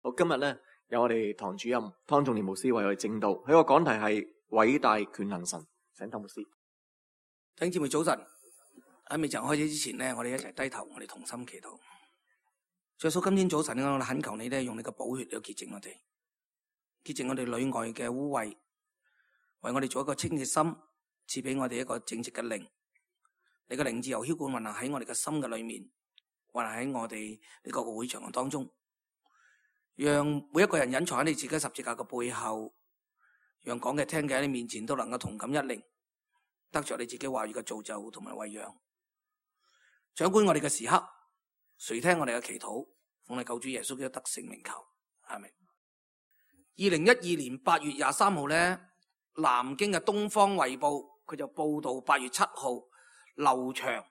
好，今日咧有我哋堂主任湯仲年牧師為我哋證道，佢個講題係偉大權能神。請湯牧師。弟兄姊妹早晨，喺未曾開始之前呢，我哋一齊低頭，我哋同心祈禱。耶穌，今天早晨我哋懇求你咧，用你嘅寶血嚟潔淨我哋，潔淨我哋裏外嘅污穢，為我哋做一個清潔心，賜俾我哋一個正直嘅靈。你嘅靈自由澆灌運行喺我哋嘅心嘅裏面，運行喺我哋呢個會場嘅當中，讓每一個人隱藏喺你自己十字架嘅背後，讓講嘅聽嘅喺你面前都能夠同感一靈，得着你自己話語嘅造就同埋餵養。掌管我哋嘅時刻，垂聽我哋嘅祈禱，奉你救主耶穌基督得勝名求，阿們。2012年8月23號咧，南京嘅東方衛報佢就報道8月7號劉翔，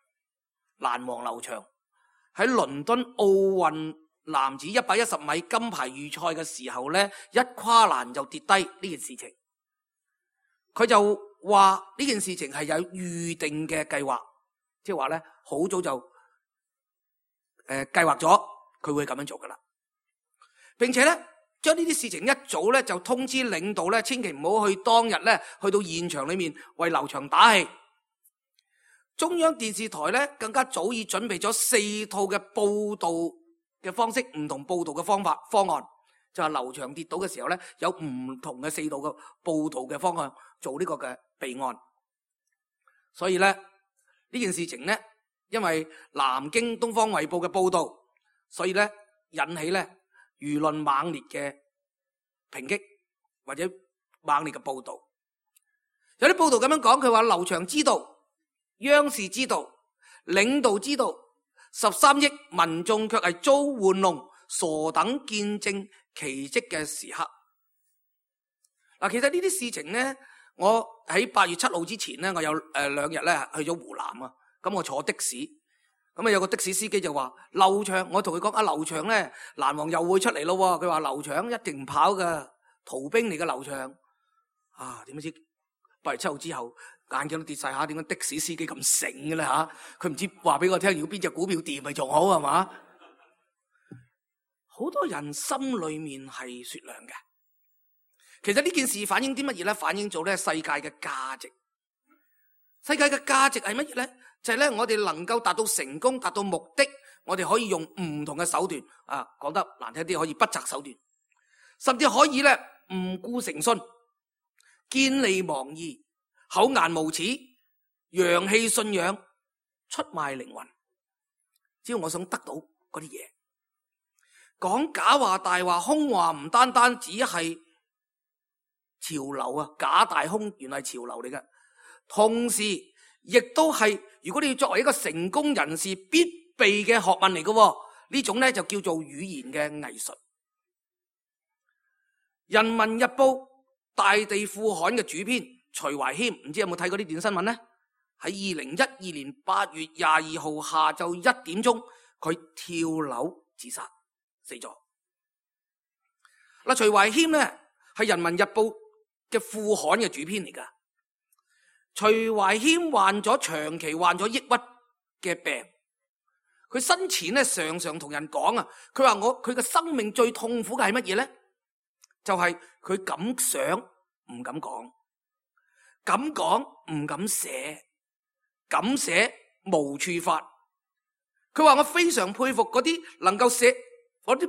欄王劉翔喺倫敦奧運男子110米金牌預賽嘅時候咧，一跨欄就跌低呢件事情。佢就話呢件事情係有預定嘅計劃，即係話咧好早就計劃咗佢會咁樣做噶啦，並且咧將呢啲事情一早咧就通知領導咧，千祈唔好去當日咧去到現場裏面為劉翔打氣。中央電視台咧更加早已準備咗4套嘅報道嘅方式，唔同報道嘅方案，就係劉翔跌倒嘅時候咧有唔同嘅4套嘅報道嘅方案做呢個嘅備案。所以咧呢件事情咧，因為南京東方衛報嘅報道，所以咧引起咧輿論猛烈嘅抨擊或者猛烈嘅報道。有啲報道咁樣講，佢話劉翔知道，央視知道，領導知道，13億民眾卻係遭玩弄，傻等見證奇蹟嘅時刻。嗱，其實呢啲事情咧，我喺8月7號之前咧，我有2日咧去咗湖南啊。咁我坐的士，咁啊有個的士司機就話劉翔，我同佢講啊，劉翔咧欄王又會出嚟咯。佢話劉翔一定唔跑噶，逃兵嚟嘅劉翔啊。點知8月7號之後眼鏡都跌晒下，點解的士司機咁醒嘅咧吓？佢唔知話俾我聽，如果邊隻股票掂咪仲好係嘛？好多人心裏面係雪亮嘅。其實呢件事反映啲乜嘢咧？反映咗咧世界嘅價值。世界嘅價值係乜嘢咧？就係咧，我哋能夠達到成功、達到目的，我哋可以用唔同嘅手段啊，講得難聽啲，可以不擇手段，甚至可以咧唔顧誠信、見利忘義、厚顏無恥、揚棄信仰、出賣靈魂。只要我想得到嗰啲嘢，講假話、大話、空話，唔單單只係潮流啊，假大空原來係潮流嚟嘅，同時亦都係，如果你要作為一個成功人士必備嘅學問嚟嘅，呢種咧就叫做語言嘅藝術。人民日報大地副刊嘅主編徐懷謙，唔知有冇睇過呢段新聞呢？喺2012年8月22號下晝1點鐘，佢跳樓自殺死咗。徐懷謙咧係人民日報嘅副刊嘅主編嚟噶。徐懷謙長期患咗抑鬱嘅病，佢生前咧常常同人講啊，佢話佢嘅生命最痛苦嘅係乜嘢咧？就係佢敢想唔敢講，敢講唔敢寫，敢寫無處發。佢話我非常佩服嗰啲能夠寫，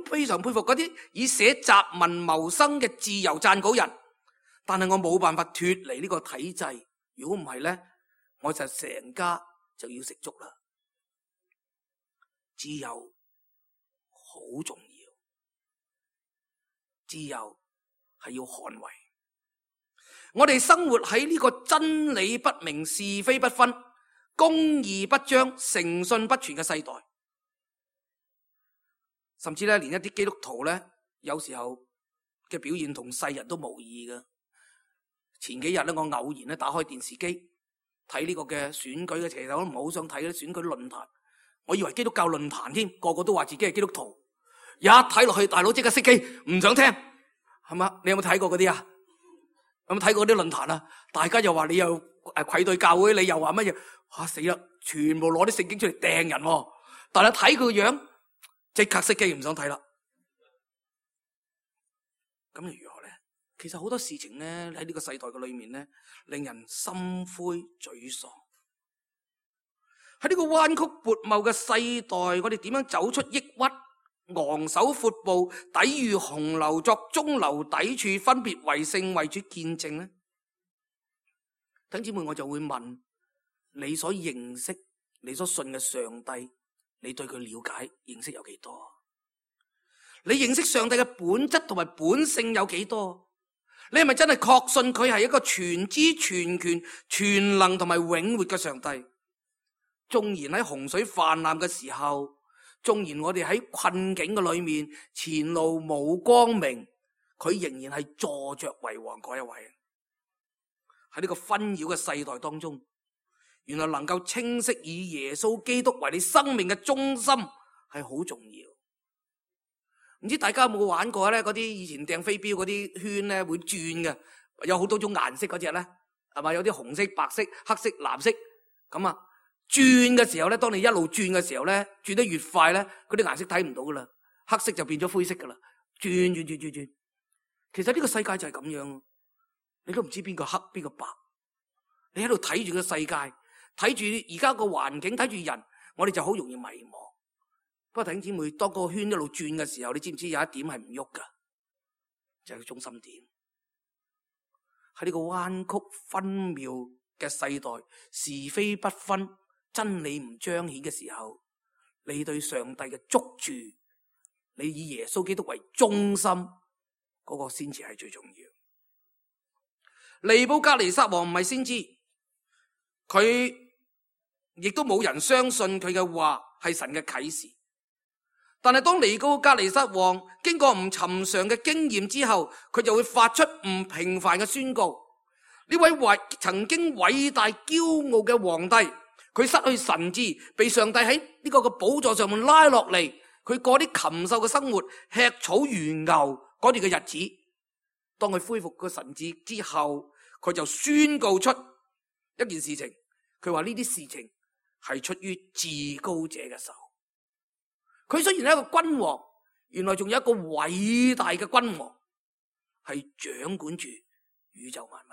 非常佩服嗰啲以寫雜文謀生嘅自由撰稿人，但係我冇辦法脫離呢個體制。如果唔係咧，我就成家就要食粥啦。自由好重要，自由係要捍衛。我哋生活喺呢個真理不明、是非不分、公義不彰、誠信不存嘅世代，甚至咧連一啲基督徒咧，有時候嘅表現同世人都無異嘅。前幾日咧，我偶然咧打開電視機睇呢個嘅選舉嘅，其實我都唔係好想睇啲選舉論壇，我以為基督教論壇添，個個都話自己係基督徒，一睇落去，大佬即刻熄機，唔想聽，係嘛？你有冇睇過嗰啲啊？有冇睇過啲論壇啊？大家又話你又愧對教會，你又話乜嘢？吓死啦！全部攞啲聖經出嚟掟人，但係睇佢個樣，即刻熄機，唔想睇啦。咁又如何呢？其實好多事情呢，喺呢個世代嘅裏面呢，令人心灰沮喪。喺呢個彎曲悖謬嘅世代，我哋點樣走出抑鬱，昂首闊步，抵禦洪流，作中流砥柱，分別為聖，為主見證呢？弟兄姊妹，我就會問你所認識、你所信嘅上帝，你對佢了解、認識有幾多？你認識上帝嘅本質同埋本性有幾多？你係咪真係確信佢係一個全知全權全能同埋永活嘅上帝？縱然喺洪水泛濫嘅時候，縱然我哋喺困境嘅裏面，前路冇光明，佢仍然係坐着為王嗰一位。喺呢個紛擾嘅世代當中，原來能夠清晰以耶穌基督為你生命嘅中心係好重要。唔知大家有冇玩過咧？嗰啲以前掟飛鏢嗰啲圈咧會轉嘅，有好多種顏色嗰隻咧，係嘛？有啲紅色、白色、黑色、藍色咁啊。轉嘅時候咧，當你一路轉嘅時候咧，轉得越快咧，嗰啲顏色睇唔到噶啦，黑色就變咗灰色噶啦。轉。其實呢個世界就係咁樣，你都唔知邊個黑邊個白。你喺度睇住個世界，睇住而家個環境，睇住人，我哋就好容易迷茫。不過弟兄姊妹，當個圈一路轉嘅時候，你知唔知有一點係唔喐噶？就係個中心點。喺呢個彎曲紛謬嘅世代，是非不分，真理唔彰顯嘅時候，你對上帝嘅捉住，你以耶穌基督為中心，嗰個先至係最重要。尼布甲尼撒王唔係先知，佢亦都冇人相信佢嘅話係神嘅啟示。但係當尼布甲尼撒王經過唔尋常嘅經驗之後，佢就會發出唔平凡嘅宣告。呢位曾經偉大驕傲嘅皇帝，佢失去神智，被上帝喺呢個寶座上面拉落嚟，佢過啲禽獸嘅生活，吃草如牛嗰段嘅日子。當佢恢復個神智之後，佢就宣告出一件事情，佢話呢啲事情係出於至高者嘅手。佢雖然係一個君王，原來仲有一個偉大嘅君王，係掌管住宇宙萬物。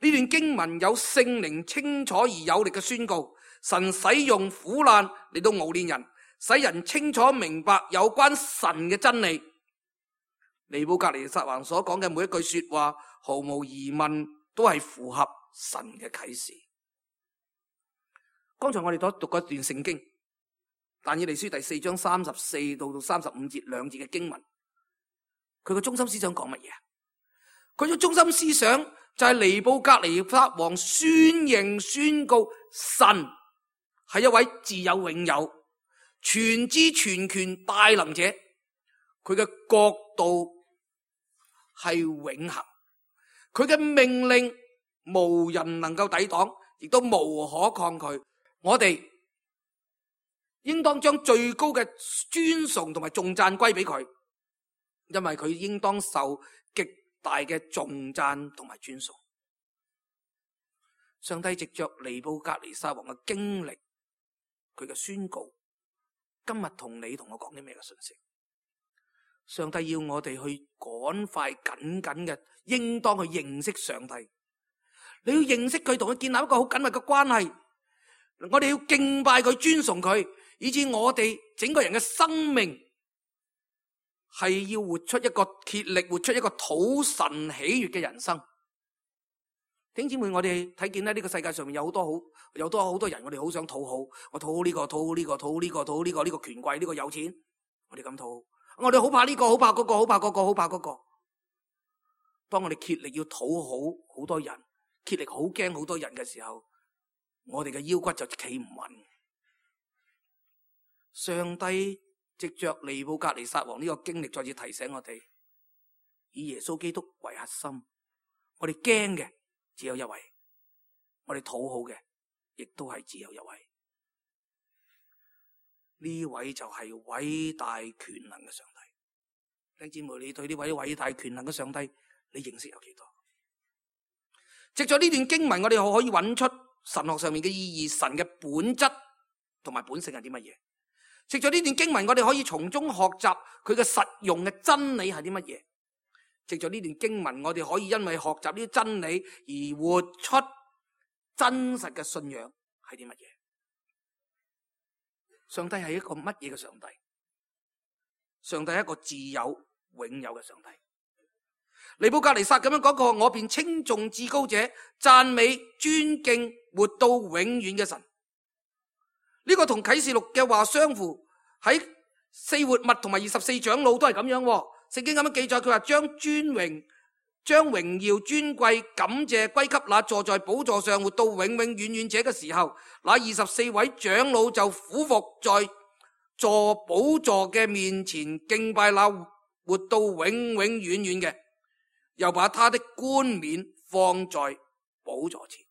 呢段經文有聖靈清楚而有力嘅宣告，神使用苦難嚟到熬煉人，使人清楚明白有關神嘅真理。尼布甲尼撒王所講嘅每一句說話，毫無疑問都係符合神嘅啟示。剛才我哋都讀過一段聖經，但以理書第4章34到35節兩節嘅經文，佢個中心思想講乜嘢？佢嘅中心思想就係尼布甲尼撒王宣認宣告神係一位自有永有、全知全權大能者，佢嘅國度係永恆，佢嘅命令無人能夠抵擋，亦都無可抗拒。我哋應當將最高嘅尊崇同埋頌讚歸俾佢，因為佢應當受極大嘅頌讚同埋尊崇。上帝藉着尼布甲尼撒王嘅經歷，佢嘅宣告，今日同你同我講啲咩嘅信息？上帝要我哋去趕快緊緊嘅，應當去認識上帝。你要認識佢，同佢建立一個好緊密嘅關係。我哋要敬拜佢，尊崇佢，以致我哋整個人嘅生命係要活出一個竭力活出一個討神喜悅嘅人生。弟兄姊妹，我哋睇見咧，呢個世界上面有好多人，我哋好想討好，我討好呢個，討好呢個，討好呢個，討好呢個，呢個權貴，呢個有錢，我哋咁討好。我哋好怕呢個，好怕嗰個，好怕嗰個，好怕嗰個。當我哋竭力要討好好多人，竭力好驚好多人嘅時候，我哋嘅腰骨就企唔穩。上帝藉着尼布甲尼撒王呢個經歷，再次提醒我哋，以耶穌基督為核心。我哋驚嘅只有一位，我哋討好嘅亦都係只有一位。呢位就係偉大權能嘅上帝。弟兄姊妹，你對呢位偉大權能嘅上帝，你認識有幾多？藉着呢段經文，我哋可以揾出神學上面嘅意義，神嘅本質同埋本性係啲乜嘢？藉着呢段經文，我哋可以從中學習佢嘅實用嘅真理係啲乜嘢？藉着呢段經文，我哋可以因為學習呢啲真理而活出真實嘅信仰係啲乜嘢？上帝係一個乜嘢嘅上帝？上帝係一個自有永有嘅上帝。尼布甲尼撒咁樣講過，我便稱頌至高者，讚美尊敬活到永遠嘅神。呢個同啟示錄嘅話相符，喺四活物同埋24長老都係咁樣。聖經咁樣記載，佢話將榮耀尊貴感謝歸給那坐在寶座上活到永永遠遠者嘅時候，那24位長老就俯伏在坐寶座嘅面前敬拜那活到永永遠遠嘅，又把他的冠冕放在寶座前。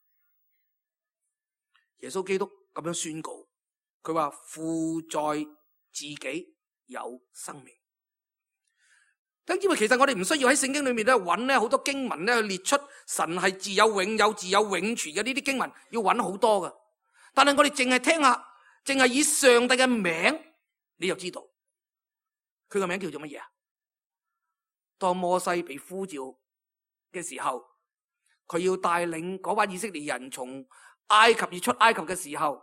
耶穌基督咁樣宣告，佢話父在自己有生命。因為其實我哋唔需要喺聖經裏面咧揾咧好多經文咧去列出神係自有永有、自有永存嘅呢啲經文，要揾好多噶。但係我哋淨係聽下，淨係以上帝嘅名，你就知道佢個名叫做乜嘢啊？當摩西被呼召嘅時候，佢要帶領嗰班以色列人從埃及而出埃及嘅時候，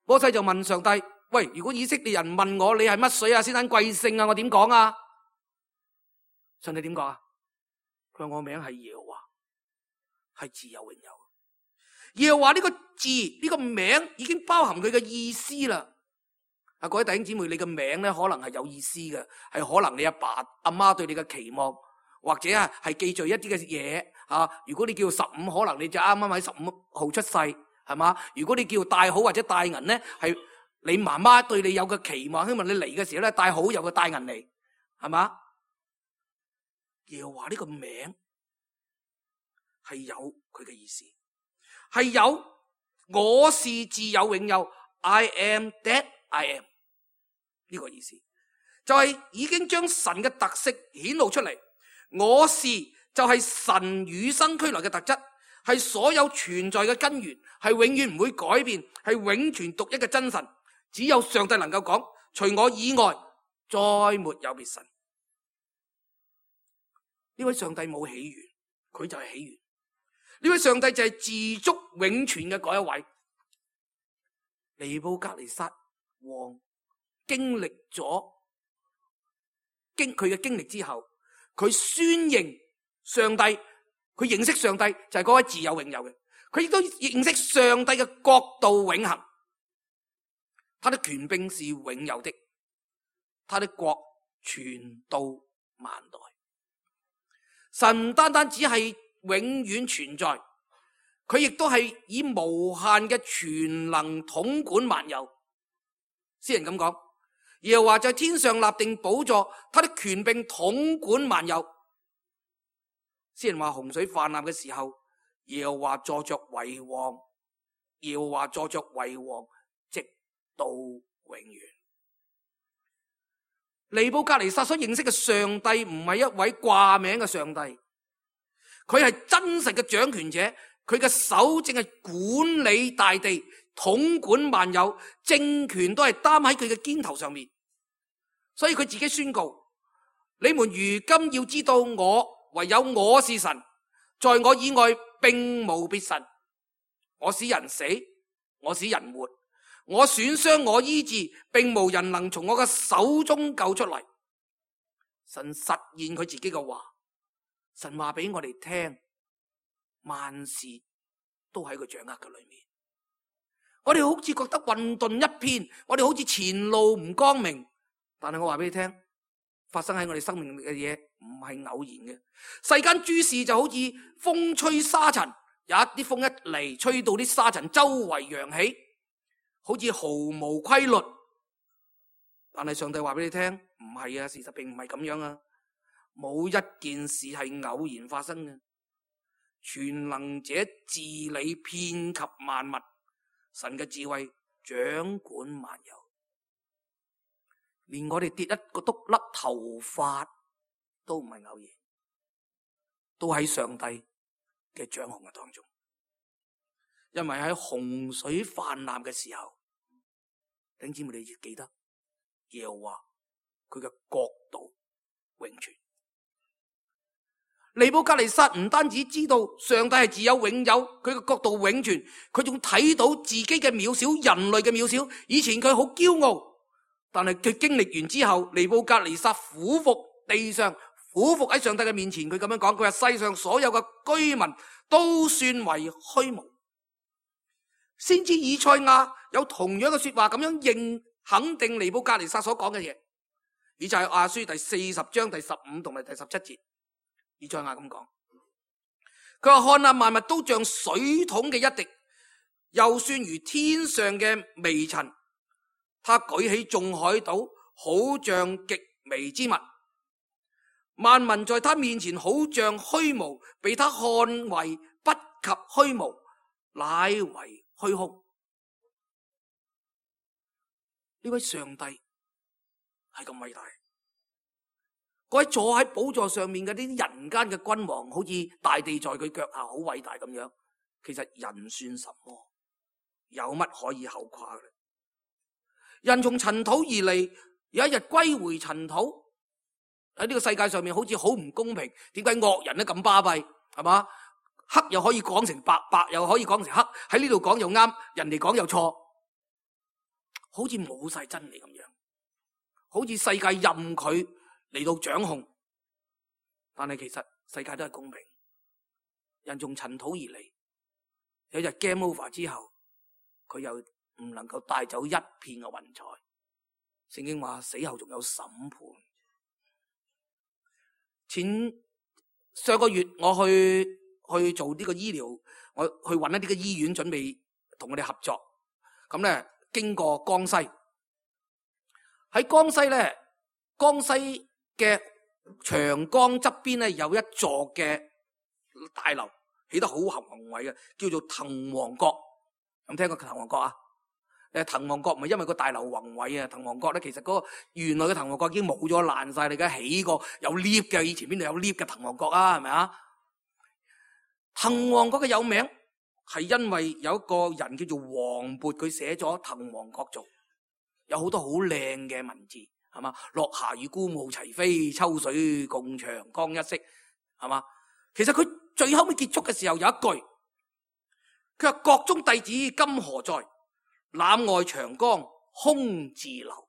摩西就問上帝：喂，如果以色列人問我你係乜水啊、先生貴姓啊，我點講啊？上帝點講啊？佢話我名係耶和華，係自有永有。耶和華呢個字呢個名已經包含佢嘅意思啦。各位弟兄姊妹，你嘅名咧可能係有意思嘅，係可能你阿爸阿媽對你嘅期望，或者係記住一啲嘅嘢啊。如果你叫15，可能你就啱啱喺15號出世，係嘛？如果你叫大好或者大銀咧，係你媽媽對你有嘅期望，希望你嚟嘅時候咧帶好有個大銀嚟，係嘛？耶和華呢個名係有佢嘅意思，係有我是自有永有 I am that I am 呢個意思，就係已經將神嘅特色顯露出嚟。我是就係神與生俱來嘅特質，係所有存在嘅根源，係永遠唔會改變，係永存獨一嘅真神。只有上帝能夠講，除我以外再沒有別神。呢位上帝冇起源，佢就係起源。呢位上帝就係自足永存嘅嗰一位。尼布甲尼撒王經歷咗佢嘅經歷之後，佢宣認上帝，佢認識上帝就係嗰位自有永有嘅。佢亦都認識上帝嘅國度永恆，他的權柄是永有的，他的國傳到萬代。神唔單單只係永遠存在，佢亦都係以無限嘅全能統管萬有。詩人咁講，耶和華在天上立定寶座，他的權柄統管萬有。詩人話洪水泛濫嘅時候，耶和華坐着為王，耶和華坐着為王，直到永遠。尼布甲尼撒所認識嘅上帝唔係一位掛名嘅上帝，佢係真實嘅掌權者，佢嘅手正係管理大地，統管萬有，政權都係擔喺佢嘅肩頭上面。所以佢自己宣告：你們如今要知道我唯有我是神，在我以外並無別神。我使人死，我使人活，我損傷，我醫治，並無人能從我嘅手中救出嚟。神實現佢自己嘅話，神話俾我哋聽，萬事都喺佢掌握嘅裏面。我哋好似覺得混沌一片，我哋好似前路唔光明，但係我話俾你聽，發生喺我哋生命嘅嘢唔係偶然嘅。世間諸事就好似風吹沙塵，有一啲風一嚟，吹到啲沙塵周圍揚起，好似毫無規律。但係上帝話俾你聽，唔係啊，事實並唔係咁樣啊，冇一件事係偶然發生嘅。全能者治理遍及萬物，神嘅智慧掌管萬有，連我哋跌一個篤粒頭髮都唔係偶然，都喺上帝嘅掌控嘅當中。因為喺洪水泛濫嘅時候，弟兄姊妹，你要記得耶和華佢嘅國度永存。尼布甲尼撒唔單止知道上帝係自有永有，佢嘅國度永存，佢仲睇到自己嘅渺小，人類嘅渺小。以前佢好驕傲，但係佢經歷完之後，尼布甲尼撒俯伏地上，俯伏喺上帝嘅面前，佢咁樣講，佢話世上所有嘅居民都算為虛無。先知以賽亞有同樣嘅說話，咁樣認肯定尼布甲尼撒所講嘅嘢。以賽亞書第40章第15同埋第17節，以賽亞咁講，佢話看哪，萬物都像水桶嘅一滴，又算如天上嘅微塵。他舉起眾海島，好像極微之物。萬民在他面前好像虛無，被他看為不及虛無，乃為虛空。呢位上帝係咁偉大，嗰位坐喺寶座上面嘅呢啲人間嘅君王，好似大地在佢腳下，好偉大咁樣。其實人算什麼？有乜可以後誇嘅？人從塵土而嚟，有一日歸回塵土。喺呢個世界上面好似好唔公平，點解惡人都咁巴閉？係嘛？黑又可以講成白，白又可以講成黑，喺呢度講又啱，人哋講又錯，好似冇晒真理咁樣，好似世界任佢嚟到掌控。但係其實世界都係公平，人從塵土而嚟，有一日 game over 之後，佢又唔能夠帶走一片嘅雲彩。聖經話死後仲有審判。上個月我去做呢個醫療，我去搵一啲嘅醫院準備同我哋合作。咁咧經過江西，喺江西咧，江西嘅長江側邊咧有一座嘅大樓，起得好宏偉嘅，叫做滕王閣。有冇聽過滕王閣啊？滕王閣唔係因為個大樓宏偉啊，滕王閣咧其實嗰個原來嘅滕王閣已經冇咗爛晒，你而家起過有 lift 嘅，以前邊度有 lift 嘅滕王閣啊？係咪啊？滕王閣嘅有名係因為有一個人叫做王勃，佢寫咗滕王閣序，有好多好靚嘅文字，係嘛？落霞與孤鶩齊飛，秋水共長江一色，係嘛？其實佢最後尾結束嘅時候有一句，佢話閣中弟子今何在？覽外長江空自流。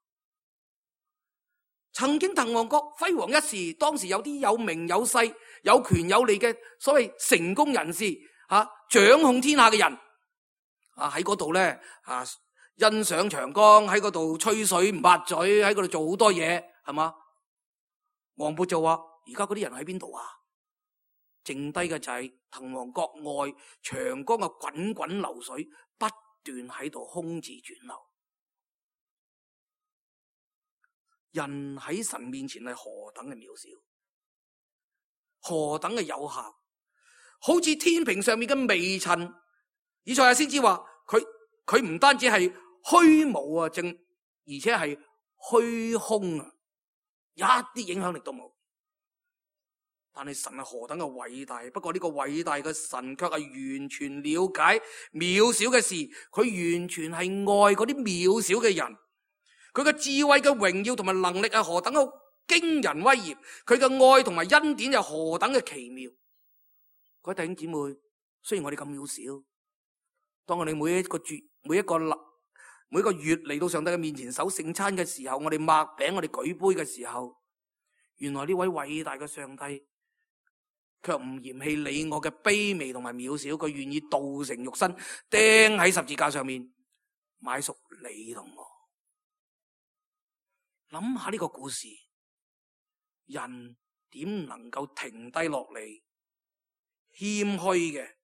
曾經滕王閣輝煌一時，當時有啲有名有勢、有權有利嘅所謂成功人士，掌控天下嘅人，喺嗰度咧，欣賞長江，喺嗰度吹水唔抹嘴，喺嗰度做好多嘢，係嘛？王勃就話：而家嗰啲人喺邊度啊？剩低嘅就係滕王閣外長江嘅滾滾流水，不斷喺度空自轉流。人喺神面前係何等嘅渺小，何等嘅有限，好似天平上面嘅微塵。以賽亞先知話佢唔單止係虛無啊，而且係虛空啊，一啲影響力都冇。但係神係何等嘅偉大，不過呢個偉大嘅神卻係完全了解渺小嘅事，佢完全係愛嗰啲渺小嘅人。佢嘅智慧嘅榮耀同埋能力係何等嘅驚人威嚴，佢嘅愛同埋恩典又何等嘅奇妙。各位弟兄姊妹，雖然我哋咁渺小，當我哋每一個月嚟到上帝嘅面前守聖餐嘅時候，我哋擘餅，我哋舉杯嘅時候，原來呢位偉大嘅上帝卻唔嫌棄你我嘅卑微同埋渺小，佢願意道成肉身釘喺十字架上面買贖你同我。諗下呢個故事，人點能夠停低落嚟，謙虛嘅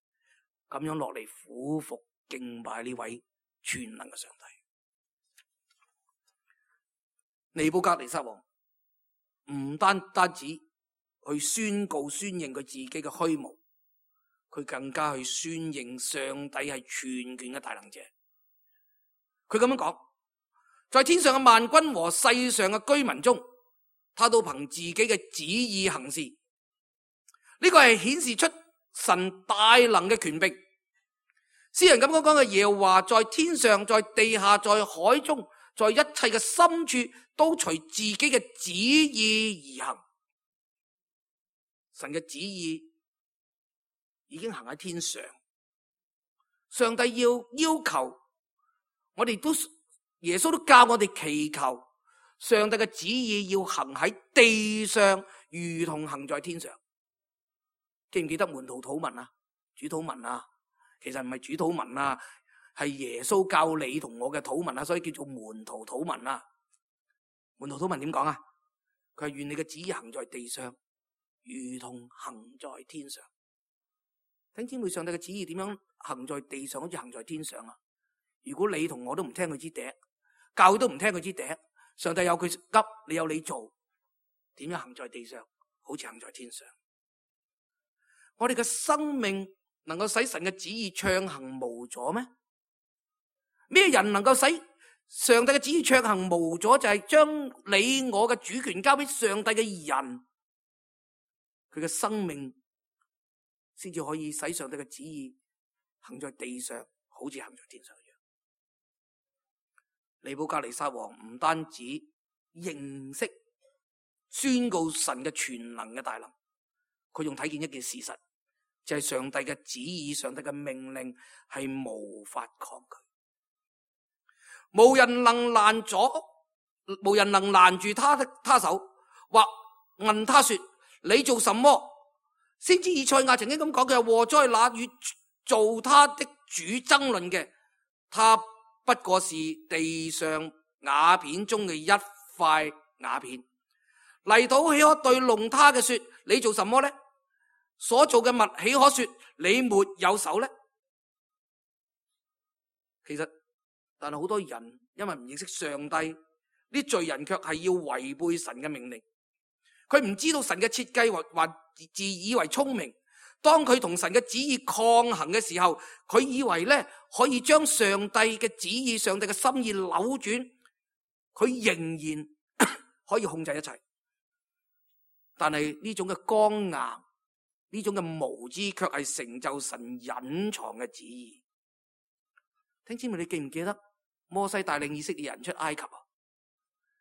咁樣落嚟俯伏敬拜呢位全能嘅上帝？尼布甲尼撒王唔單止去宣告宣認佢自己嘅虛無，佢更加去宣認上帝係全權嘅大能者。佢咁樣講，在天上嘅萬軍和世上嘅居民中，他都憑自己嘅旨意行事。呢個係顯示出神大能嘅權柄。詩人咁講嘅，耶和華在天上，在地下，在海中，在一切嘅深處，都隨自己嘅旨意而行。神嘅旨意已經行喺天上。上帝要求我哋都，耶穌都教我哋祈求上帝嘅旨意要行喺地上，如同行在天上。記唔記得門徒禱文啊？主禱文啊？其實唔係主禱文啊，係耶穌教你同我嘅禱文啊，所以叫做門徒禱文啊。門徒禱文點講啊？佢係願你嘅旨意行在地上，如同行在天上。弟兄姊妹，上帝嘅旨意點樣行在地上，好似行在天上啊？如果你同我都唔聽佢支笛，教會都唔聽佢支笛，上帝有佢急，你有你做，點樣行在地上，好似行在天上？我哋嘅生命能夠使神嘅旨意暢行無阻咩？咩人能夠使上帝嘅旨意暢行無阻？就係將你我嘅主權交俾上帝嘅人，佢嘅生命先至可以使上帝嘅旨意行在地上，好似行在天上一樣。尼布甲尼撒王唔單止認識宣告神嘅全能嘅大能，佢仲睇見一件事實，就係上帝嘅旨意、上帝嘅命令係無法抗拒，無人能攔住他手，或問他說：你做什麼？先知以賽亞曾經咁講，佢係禍災那與造他的主爭論嘅，他不過是地上瓦片中嘅一塊瓦片。泥土豈可對弄他嘅說：你做什麼呢？所做嘅物豈可說你沒有手呢？其實，但係好多人因為唔認識上帝，啲罪人卻係要違背神嘅命令。佢唔知道神嘅設計，或自以為聰明。當佢同神嘅旨意抗衡嘅時候，佢以為咧可以將上帝嘅旨意、上帝嘅心意扭轉，佢仍然可以控制一切。但係呢種嘅剛硬，呢種嘅無知，卻係成就神隱藏嘅旨意。聽姊妹，你記唔記得摩西帶領以色列人出埃及啊？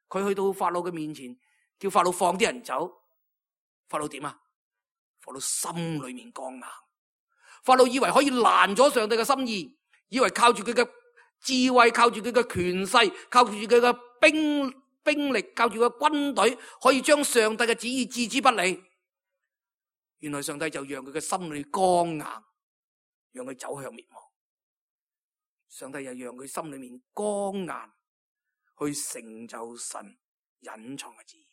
佢去到法老嘅面前，叫法老放啲人走。法老點啊？法老心裏面剛硬。法老以為可以攔咗上帝嘅心意，以為靠住佢嘅智慧，靠住佢嘅權勢，靠住佢嘅兵力，靠住佢嘅軍隊，可以將上帝嘅旨意置之不理。原來上帝就讓佢嘅心裏剛硬，讓佢走向滅亡。上帝又讓佢心裏面剛硬，去成就神隱藏嘅旨意。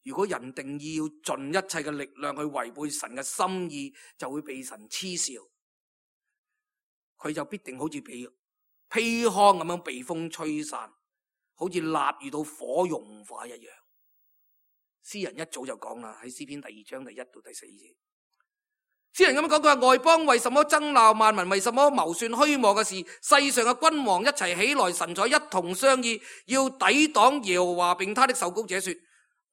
如果人定義要盡一切嘅力量去違背神嘅心意，就會被神嗤笑。佢就必定好似被砒糠咁樣被風吹散，好似蠟遇到火融化一樣。詩人一早就講啦，喺詩篇第2章第1到第4節。詩人咁樣講，佢話：外邦為什麼爭鬧，萬民為什麼謀算虛妄嘅事？世上嘅君王一齊起來，神才一同商議，要抵擋耶和華並他的受膏者，說：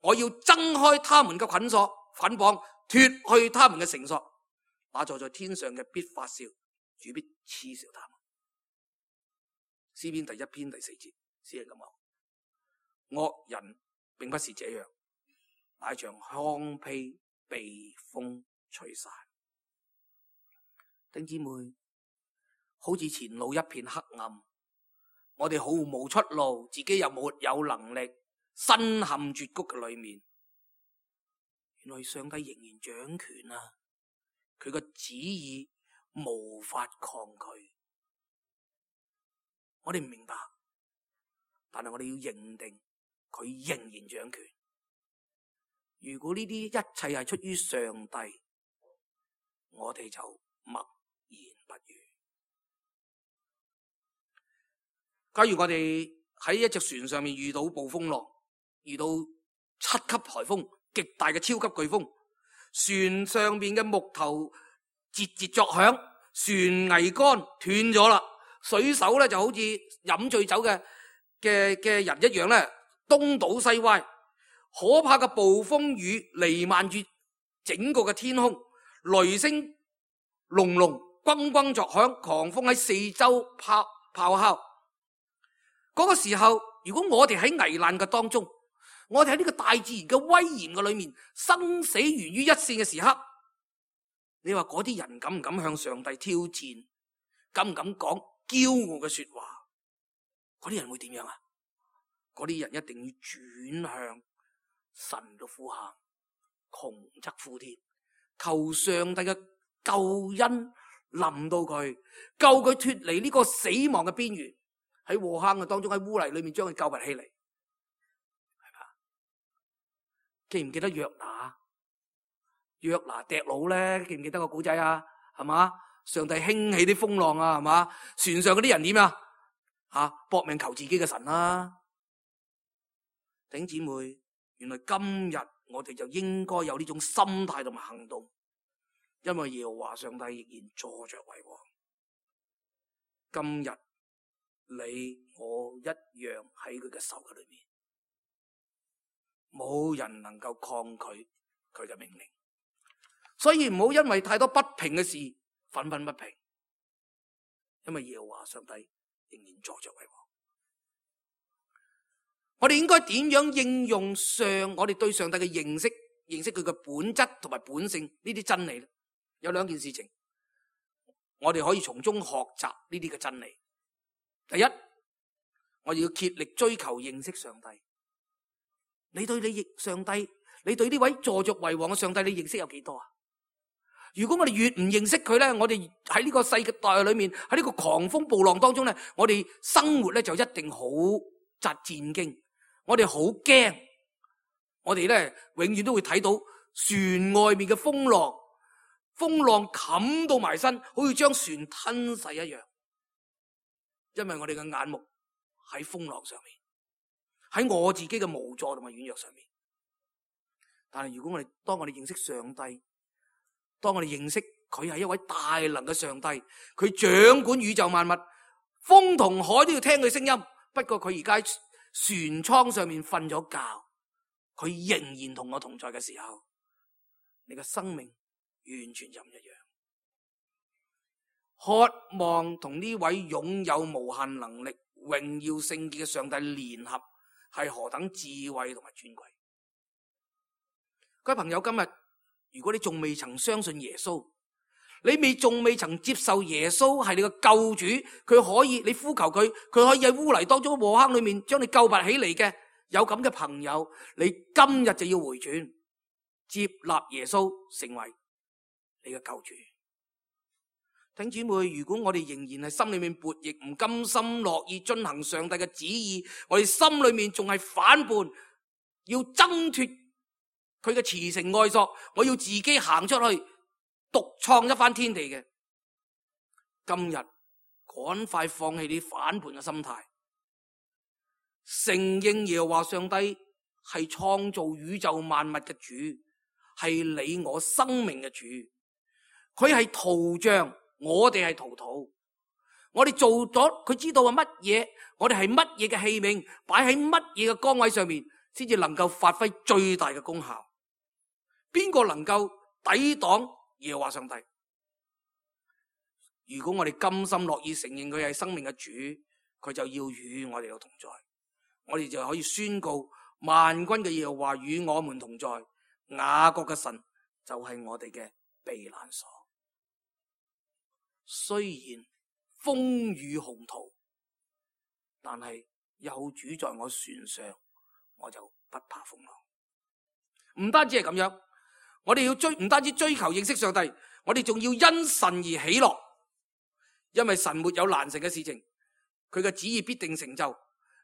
我要掙開他們嘅捆綁，脫去他們嘅繩索。那坐在天上嘅必發笑，主必嗤笑他們。詩篇第1篇第4節，詩人咁講：惡人並不是這樣，乃像糠秕被風吹散。弟兄姊妹，好似前路一片黑暗，我哋毫無出路，自己又沒有能力，身陷絕谷嘅裏面。原來上帝仍然掌權啊！佢個旨意無法抗拒。我哋唔明白，但係我哋要認定佢仍然掌權。如果呢啲一切係出於上帝，我哋就默言不語。假如我哋喺一隻船上面遇到暴風浪，遇到7級颱風，極大嘅超級颶風，船上面嘅木頭節節作響，船桅杆斷咗啦，水手咧就好似飲醉酒嘅人一樣咧，東倒西歪，可怕嘅暴風雨彌漫住整個嘅天空，雷聲隆隆，轟轟作響，狂風喺四周咆哮。嗰個時候，如果我哋喺危難嘅當中，我哋喺呢個大自然嘅威嚴嘅裏面，生死懸於一線嘅時刻，你話嗰啲人敢唔敢向上帝挑戰？敢唔敢講驕傲嘅說話？嗰啲人會點樣啊？嗰啲人一定要轉向神嘅呼喊，窮則呼天，求上帝嘅救恩臨到佢，救佢脫離呢個死亡嘅邊緣，喺禍坑嘅當中，喺污泥裏面將佢救拔起嚟，係嘛？記唔記得約拿？約拿跌佬咧，記唔記得個古仔啊？係嘛？上帝興起啲風浪啊，係嘛？船上嗰啲人點啊？搏命求自己嘅神啦！弟兄姊妹，原來今日我哋就應該有呢種心態同埋行動，因為耶和華上帝仍然坐着為王。今日你我一樣喺佢嘅手嘅裏面，冇人能夠抗拒佢嘅命令，所以唔好因為太多不平嘅事憤憤不平，因為耶和華上帝仍然坐着為王。我哋應該點樣應用我哋對上帝嘅認識佢嘅本質同埋本性呢啲真理呢？有兩件事情，我哋可以從中學習呢啲嘅真理。第一，我哋要竭力追求認識上帝。你對呢位坐着為王嘅上帝，你認識有幾多啊？如果我哋越唔認識佢咧，我哋喺呢個世代裏面，喺呢個狂風暴浪當中咧，我哋生活咧就一定好戰驚，我哋好驚，我哋咧永遠都會睇到船外面嘅風浪冚到埋身，好似將船吞噬一樣。因為我哋嘅眼目喺風浪上面，喺我自己嘅無助同埋軟弱上面。但係如果當我哋認識上帝，當我哋認識佢係一位大能嘅上帝，佢掌管宇宙萬物，風同海都要聽佢聲音。不過佢而家船艙上面瞓咗覺，佢仍然同我同在嘅時候，你嘅生命完全就唔一樣。渴望同呢位擁有無限能力、榮耀聖潔嘅上帝聯合，係何等智慧同埋尊貴。各位朋友，今日如果你仲未曾相信耶穌，你仲未曾接受耶穌係你嘅救主，佢可以，你呼求佢，佢可以喺污泥當中禍坑裏面將你救拔起嚟嘅，有咁嘅朋友，你今日就要回轉，接納耶穌成為你嘅救主。弟兄姊妹，如果我哋仍然係心裏面悖逆，唔甘心樂意遵行上帝嘅旨意，我哋心裏面仲係反叛，要掙脫佢嘅慈繩愛索，我要自己行出去獨創一番天地嘅，今日趕快放棄你反叛嘅心態，承認耶和華上帝係創造宇宙萬物嘅主，係你我生命嘅主，佢係陶匠，我哋係陶土，我哋做咗，佢知道係乜嘢，我哋係乜嘢嘅器皿，擺喺乜嘢嘅崗位上面，先至能夠發揮最大嘅功效。邊個能夠抵擋耶和華上帝？如果我哋甘心樂意承認佢係生命嘅主，佢就要與我哋有同在，我哋就可以宣告萬軍嘅耶和華與我們同在，雅各嘅神就係我哋嘅避難所。雖然風雨洪濤，但係有主在我船上，我就不怕風浪。唔單止係咁樣，我哋要唔單止追求認識上帝，我哋仲要因神而喜樂，因為神沒有難成嘅事情，佢嘅旨意必定成就。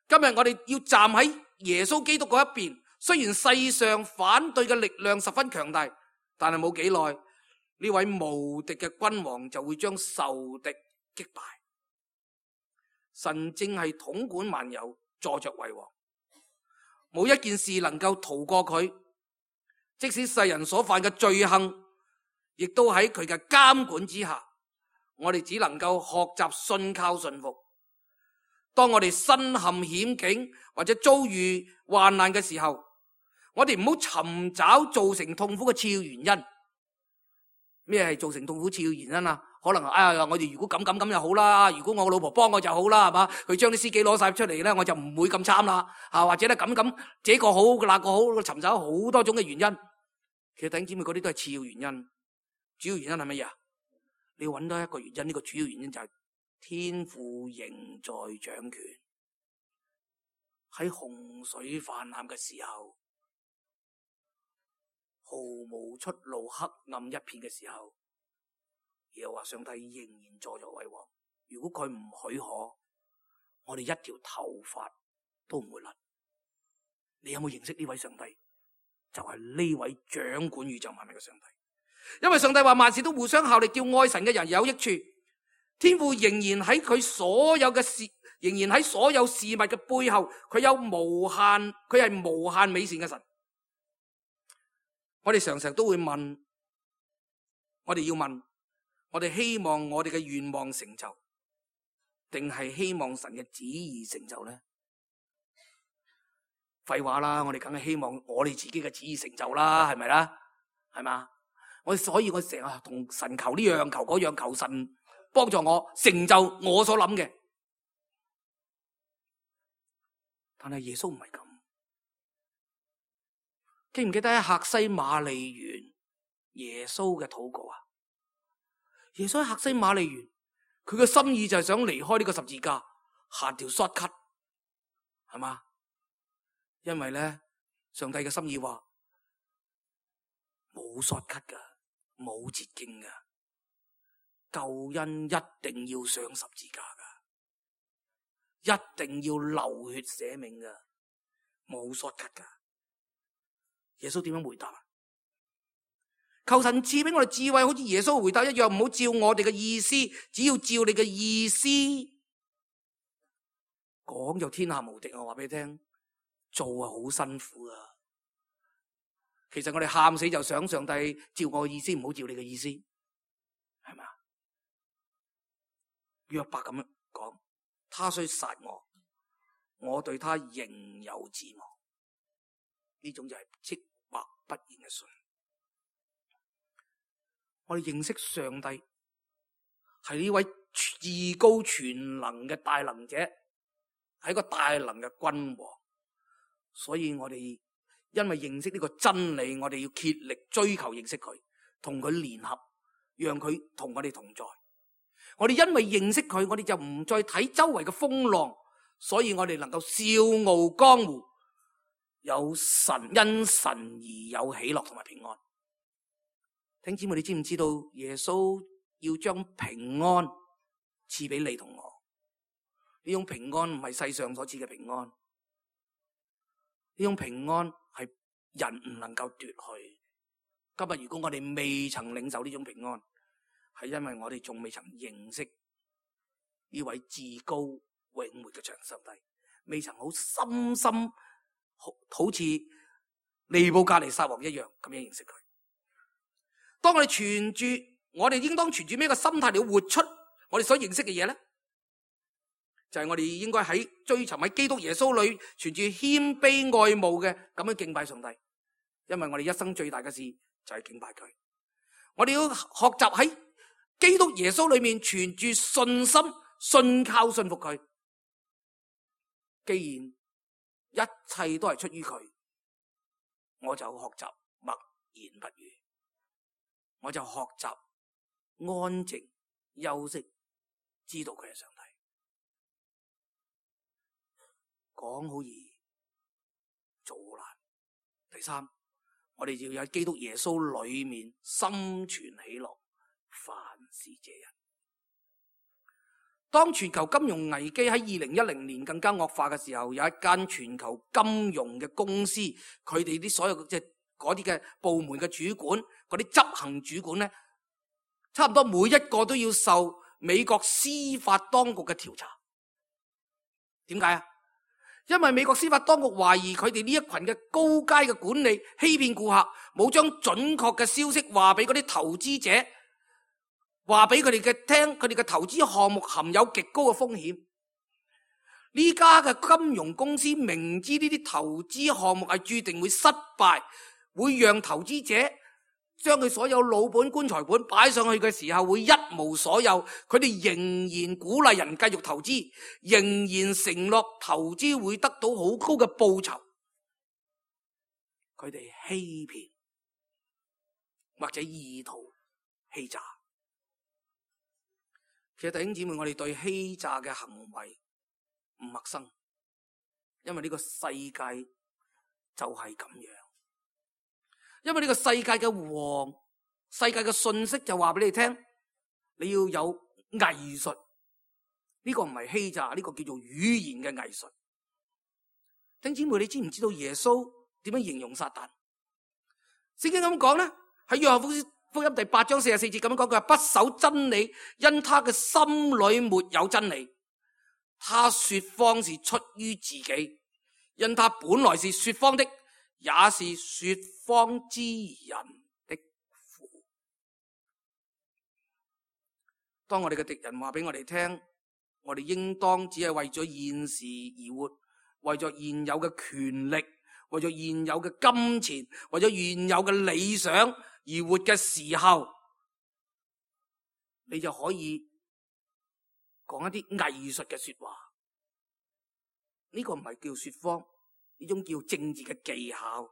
今日我哋要站喺耶穌基督嗰一邊，雖然世上反對嘅力量十分強大，但係冇幾耐，呢位無敵嘅君王就會將仇敵擊敗。神正係統管萬有，坐着為王，冇一件事能夠逃過佢。即使世人所犯嘅罪行，亦都喺佢嘅監管之下。我哋只能夠學習信靠順服。當我哋身陷險境或者遭遇患難嘅時候，我哋唔好尋找造成痛苦嘅次要原因。咩係造成痛苦次要原因啊？可能我哋如果咁就好啦，如果我老婆幫我就好啦，係嘛？佢將啲司機攞晒出嚟咧，我就唔會咁慘啦，或者咧咁這個好那個好，尋找好多種嘅原因。其實弟兄姊妹嗰啲都係次要原因，主要原因係乜嘢啊？你要揾到一個原因，呢個主要原因就係天父仍在掌權。喺洪水泛濫嘅時候，毫無出路、黑暗一片嘅時候，耶和華上帝仍然坐著為王。如果佢唔許可，我哋一條頭髮都唔會甩。你有冇認識呢位上帝？就係呢位掌管宇宙萬物嘅上帝。因為上帝話萬事都互相效力，叫愛神嘅人有益處。天父仍然喺佢所有嘅事，仍然喺所有事物嘅背後，佢係無限美善嘅神。我哋常常都會問，我哋要問，我哋希望我哋嘅願望成就，定係希望神嘅旨意成就呢？廢話啦，我哋梗係希望我哋自己嘅旨意成就啦，係咪啦？係嘛？所以我成日同神求呢樣求嗰樣，求神幫助我成就我所諗嘅。但係耶穌唔係咁。記唔記得喺客西馬尼園耶穌嘅禱告啊？耶穌喺客西馬尼園，佢嘅心意就係想離開呢個十字架，行條 shortcut， 係嘛？因為咧，上帝嘅心意話冇 shortcut噶，冇捷徑噶，救恩一定要上十字架噶，一定要流血捨命噶，冇 shortcut噶。耶穌點樣回答啊？求神賜俾我哋智慧，好似耶穌回答一樣，唔好照我哋嘅意思，只要照你嘅意思。講就天下無敵，我話俾你聽，做啊好辛苦啊。其實我哋喊死就想上帝照我嘅意思，唔好照你嘅意思，係咪啊？約伯咁樣講，他雖殺我，我對他仍有指望。呢種就係即或不言嘅信。我哋認識上帝係呢位至高全能嘅大能者，係一個大能嘅君王。所以我哋因為認識呢個真理，我哋要竭力追求認識佢，同佢聯合，讓佢同我哋同在。我哋因為認識佢，我哋就唔再睇周圍嘅風浪，所以我哋能夠笑傲江湖，有神，因神而有喜樂同埋平安。弟兄姊妹，你知唔知道耶穌要將平安賜俾你同我？呢種平安唔係世上所賜嘅平安，呢種平安係人唔能夠奪去。今日如果我哋未曾領受呢種平安，係因為我哋仲未曾認識呢位至高永活嘅長上帝，未曾好深深好似尼布甲尼撒王一樣咁樣認識佢。當我哋應當存住咩個心態嚟活出我哋所認識嘅嘢咧？就係我哋應該喺追尋喺基督耶穌裏存住謙卑愛慕嘅咁樣敬拜上帝，因為我哋一生最大嘅事就係敬拜佢。我哋要學習喺基督耶穌裏面存住信心，信靠信服佢。既然一切都係出於佢，我就學習默言不語，我就學習安靜休息，知道佢係上帝。講好易，做好難。第三，我哋要喺基督耶穌裏面心存喜樂，凡事謝恩。當全球金融危機喺2010年更加惡化嘅時候，有一間全球金融嘅公司，佢哋啲所有即係嗰啲嘅部門嘅主管，嗰啲執行主管咧，差唔多每一個都要受美國司法當局嘅調查。點解啊？因為美國司法當局懷疑佢哋呢一群嘅高階嘅管理欺騙顧客，冇將準確嘅消息話俾嗰啲投資者，話俾佢哋嘅聽，佢哋嘅投資項目含有極高嘅風險。呢家嘅金融公司明知呢啲投資項目係注定會失敗，會讓投資者將佢所有老本、棺材本擺上去嘅時候，會一無所有。佢哋仍然鼓勵人繼續投資，仍然承諾投資會得到好高嘅報酬。佢哋欺騙或者意圖欺詐。其實弟兄姊妹，我哋對欺詐嘅行為唔陌生，因為呢個世界就係咁樣。因為呢個世界嘅王，世界嘅信息就話俾你聽，你要有藝術。呢個唔係欺詐，呢個叫做語言嘅藝術。弟兄姊妹，你知唔知道耶穌點樣形容撒旦？聖經咁講咧，喺約翰福音第8章44節咁樣講，佢話不守真理，因他嘅心裏沒有真理。他說謊是出於自己，因他本來是說謊的，也是說謊之人的父。當我哋嘅敵人話俾我哋聽，我哋應當只係為咗現時而活，為咗現有嘅權力，為咗現有嘅金錢，為咗現有嘅理想而活嘅時候，你就可以講一啲藝術嘅說話。呢個唔係叫說謊，呢種叫政治嘅技巧。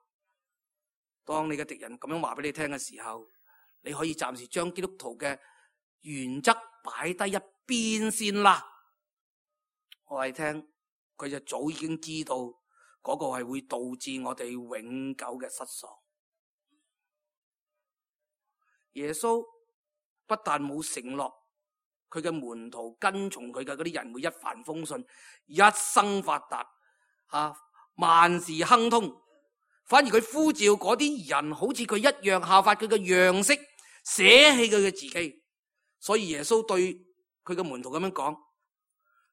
當你嘅敵人咁樣話俾你聽嘅時候，你可以暫時將基督徒嘅原則擺低一邊先啦。我係聽佢就早已經知道嗰個係會導致我哋永久嘅失喪。耶穌不但冇承諾佢嘅門徒跟從佢嘅嗰啲人會一帆風順、一生發達、萬事亨通，反而佢呼召嗰啲人好似佢一樣效法佢嘅樣式，捨棄佢嘅自己。所以耶穌對佢嘅門徒咁樣講，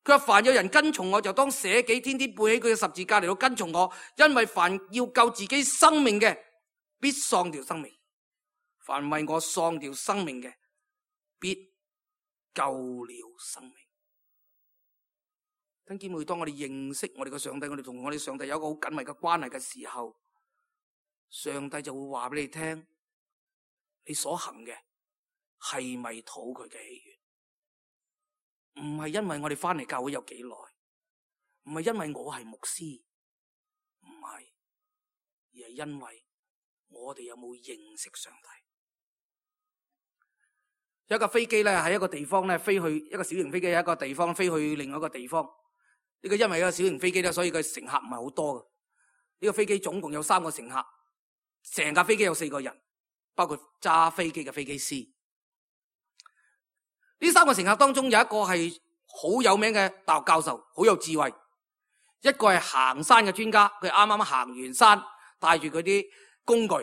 佢話凡有人跟從我，就當捨己，天天背起佢嘅十字架嚟到跟從我，因為凡要救自己生命嘅，必喪掉生命；凡為我喪掉生命嘅，必救了生命。弟兄姊妹，當我哋認識我哋嘅上帝，我哋同我哋上帝有一個好緊密嘅關係嘅時候，上帝就會話俾你聽，你所行嘅係咪討佢嘅喜悅？唔係因為我哋翻嚟教會有幾耐，唔係因為我係牧師，唔係，而係因為我哋有冇認識上帝。有一架飛機咧喺一個地方咧飛去，一個小型飛機喺一個地方飛去另外一個地方。呢個因為一個小型飛機咧，所以佢乘客唔係好多嘅。呢個飛機總共有3個乘客，成架飛機有4個人，包括揸飛機嘅飛機師。呢3個乘客當中有一個係好有名嘅大學教授，好有智慧；一個係行山嘅專家，佢啱啱行完山，帶住佢啲工具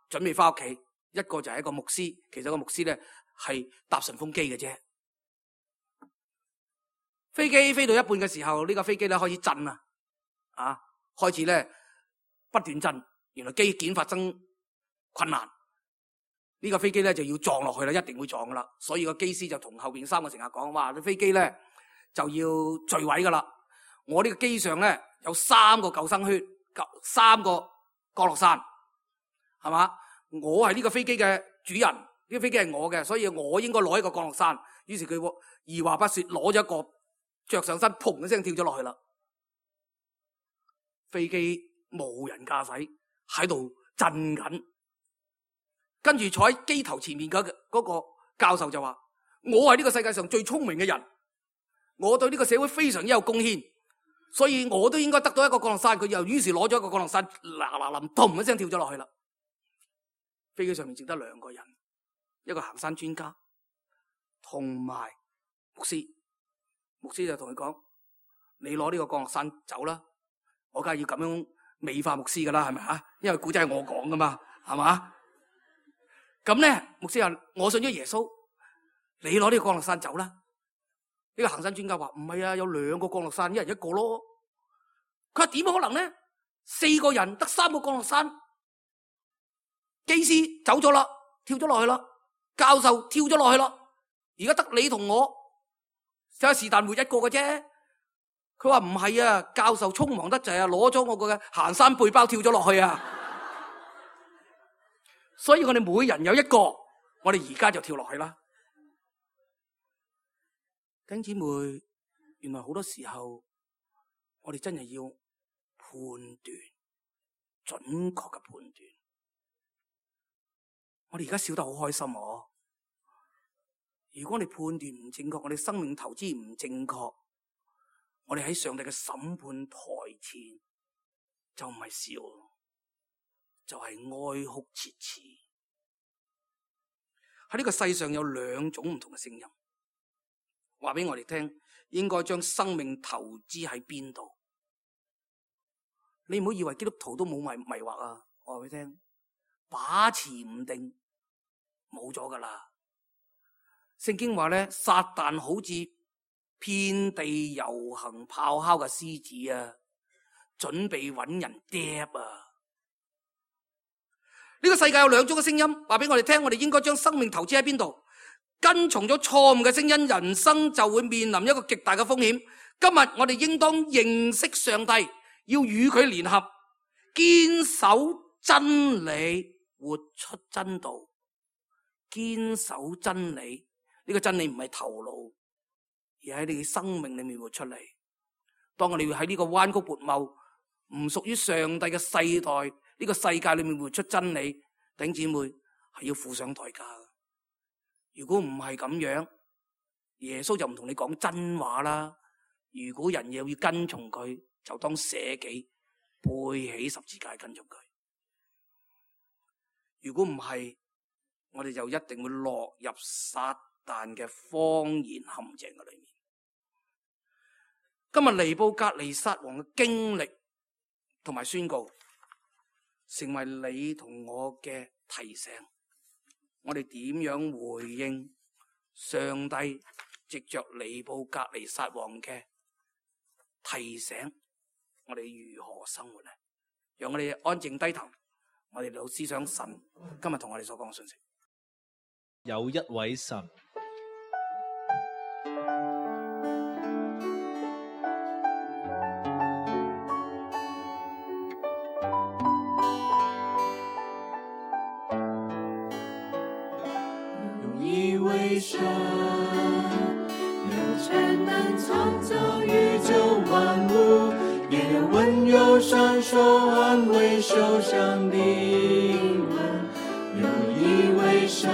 準備翻屋企；一個就係一個牧師，其實個牧師咧係搭順風機嘅啫。飛機飛到一半嘅時候，呢架飛機咧開始震啦，開始咧不斷震，原來機件發生困難。呢個飛機咧就要撞落去啦，一定會撞噶啦。所以個機師就同後邊3個乘客講：哇，啲飛機咧就要墜毀噶啦！我呢個機上咧有3個救生圈，3個降落傘，係嘛？我係呢個飛機嘅主人，呢個飛機係我嘅，所以我應該攞一個降落傘。於是佢二話不說攞咗一個着上身，砰一聲跳咗落去啦。飛機無人駕駛，喺度震緊。跟住坐喺機頭前面嗰個教授就話：我係呢個世界上最聰明嘅人，我對呢個社會非常之有貢獻，所以我都應該得到一個降落傘。佢又於是攞咗一個降落傘，砰一聲跳咗落去啦。飛機上面淨得2個人，一個行山專家同埋牧師。牧師就同佢講：你攞呢個降落傘走啦，我梗係要咁樣美化牧師噶啦，係咪啊？因為古仔係我講噶嘛，係嘛？咁咧，牧師話：我信咗耶穌，你攞呢個降落傘走啦。呢個行山專家話：唔係啊，有2個降落傘，一人一個咯。佢話點可能咧？4個人得3個降落傘，機師走咗啦，跳咗落去啦，教授跳咗落去啦，而家得你同我，就係是但活一個嘅啫。佢話唔係啊，教授匆忙得滯啊，攞咗我個行山背包跳咗落去啊。所以我哋每人有一個，我哋而家就跳落去啦。弟兄姊妹，原來好多時候我哋真係要判斷，準確嘅判斷。我哋而家笑得好開心喎。如果我哋判斷唔正確，我哋生命投資唔正確，我哋喺上帝嘅審判台前就唔係笑，就係哀哭切齒。喺呢個世上有兩種唔同嘅聲音，話俾我哋聽，應該將生命投資喺邊度？你唔好以為基督徒都冇迷惑啊！我話俾你聽，把持唔定，冇咗噶啦。聖經話咧，撒旦好似遍地遊行咆哮嘅獅子啊，準備揾人釘啊！呢個世界有兩種嘅聲音，話俾我哋聽，我哋應該將生命投資喺邊度？跟從咗錯誤嘅聲音，人生就會面臨一個極大嘅風險。今日我哋應當認識上帝，要與佢聯合，堅守真理，活出真道。堅守真理，呢個真理唔係頭腦，而喺你嘅生命裏面活出嚟。當我哋要喺呢個彎曲悖謬、唔屬於上帝嘅世代，呢個世界裏面活出真理，弟兄姊妹係要付上代價。如果唔係咁樣，耶穌就唔同你講真話啦。如果人又要跟從佢，就當捨己，背起十字架跟從佢。如果唔係，我哋就一定會落入撒旦嘅謊言陷阱嘅裏面。今日尼布甲尼撒王嘅經歷同埋宣告，成為你同我嘅提醒。我哋點樣回應上帝藉着尼布甲尼撒王嘅提醒？我哋如何生活呢？讓我哋安靜低頭，我哋老思想神今日同我哋所講嘅信息。有一位神，有一位神，有全能創造宇宙萬物，也有溫柔雙手安慰受傷的靈。有一位神，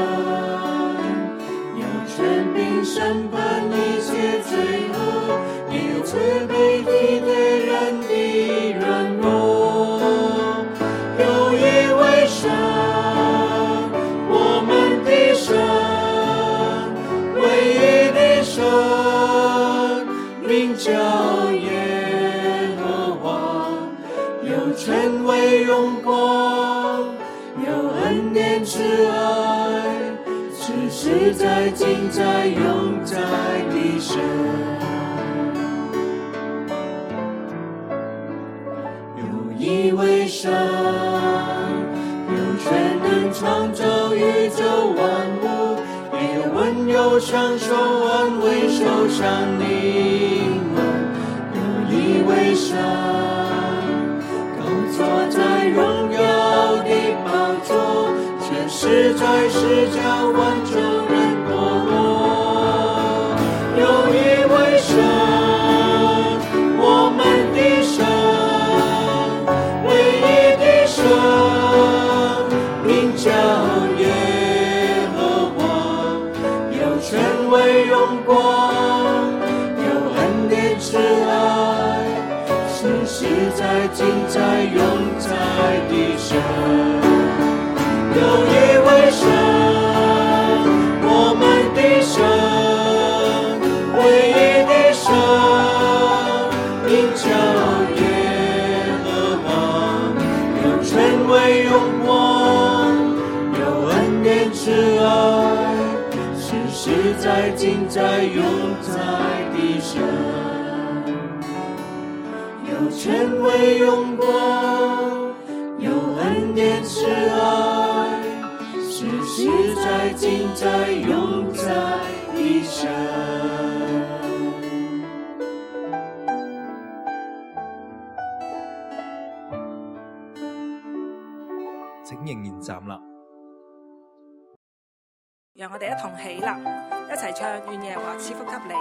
有權柄審判一切罪惡，也有慈悲體貼人的軟弱。有一位神，我們的神，唯一的神，名叫耶和華，有權威榮光，有恩典慈愛，是實在盡在永在的神。有一位神，有權能創造宇宙萬物，也有溫柔雙手安慰受傷的靈。有一位神，坐在榮耀的寶座，卻實在是叫萬眾人墮落。有一位神，我們的神，唯一的神，名叫耶和華，有權威榮光，有恩典慈愛，是實在盡在永在的神。有一位神，我們的神，唯一的神，名叫耶和華，有權威榮光，有恩典慈愛，是實在盡在永在的神。有權威榮光，有恩典慈愛，是實在盡在永在的神。請仍然站立。讓我哋一同起立，一齊唱願耶和華賜福給你。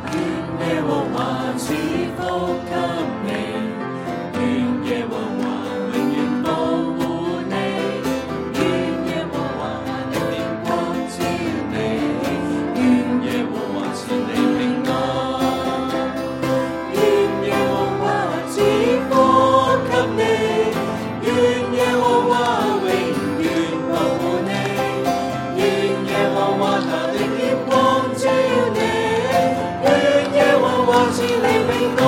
願耶和華賜福給你，願耶和華永遠保護你，願耶和華的臉光照你，願耶和華賜你平安，願耶和華賜福給你，願耶和華永遠保護你，願耶和華他的臉光照你，願耶和華賜你平安，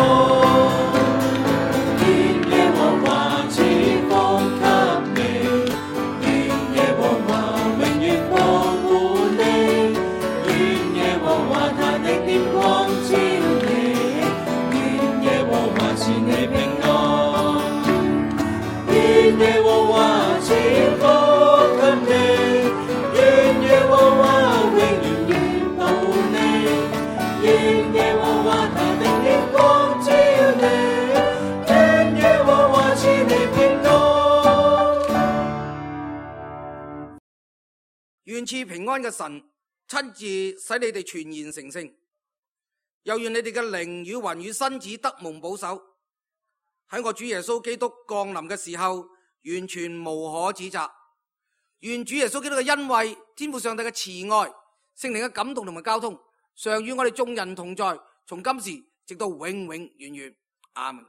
願耶和華賜福給你，願耶和華永遠保護你，願耶和華他的臉光照你，願耶和華賜你平安，願耶和華賜福給你，願耶和華永遠保護你，願耶和華他的臉光照你，願耶和華賜你平安。願賜平安嘅神親自使你哋全然成聖，又願你哋嘅靈與魂與身子得蒙保守，喺我主耶穌基督降臨嘅時候完全無可指責。願主耶穌基督嘅恩惠、天父上帝嘅慈愛、聖靈嘅感動同埋交通常與我哋眾人同在，從今時直到永永遠遠。阿門。